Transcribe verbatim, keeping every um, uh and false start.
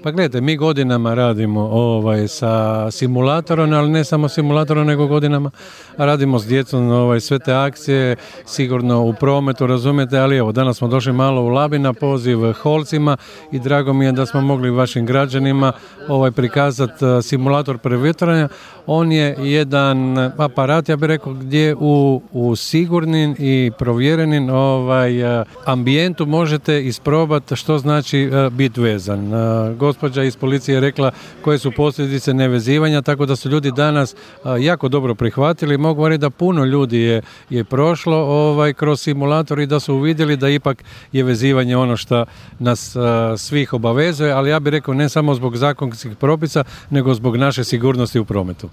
Pa gledajte, mi godinama radimo ovaj, sa simulatorom, ali ne samo simulatorom, nego godinama radimo s djecom ovaj, sve te akcije, sigurno u prometu, razumijete, ali evo, danas smo došli malo u Labin na poziv Holcima i drago mi je da smo mogli vašim građanima ovaj, prikazati simulator prevjetranja. On je jedan aparat, ja bih rekao, gdje u, u sigurnim i provjerenim ovaj, ambijentu možete isprobati što znači biti vezan. Gospođa iz policije je rekla koje su posljedice nevezivanja, tako da su ljudi danas jako dobro prihvatili. Mogu reći da puno ljudi je, je prošlo ovaj, kroz simulator i da su uvidjeli da ipak je vezivanje ono što nas svih obavezuje, ali ja bih rekao ne samo zbog zakonskih propisa, nego zbog naše sigurnosti u prometu.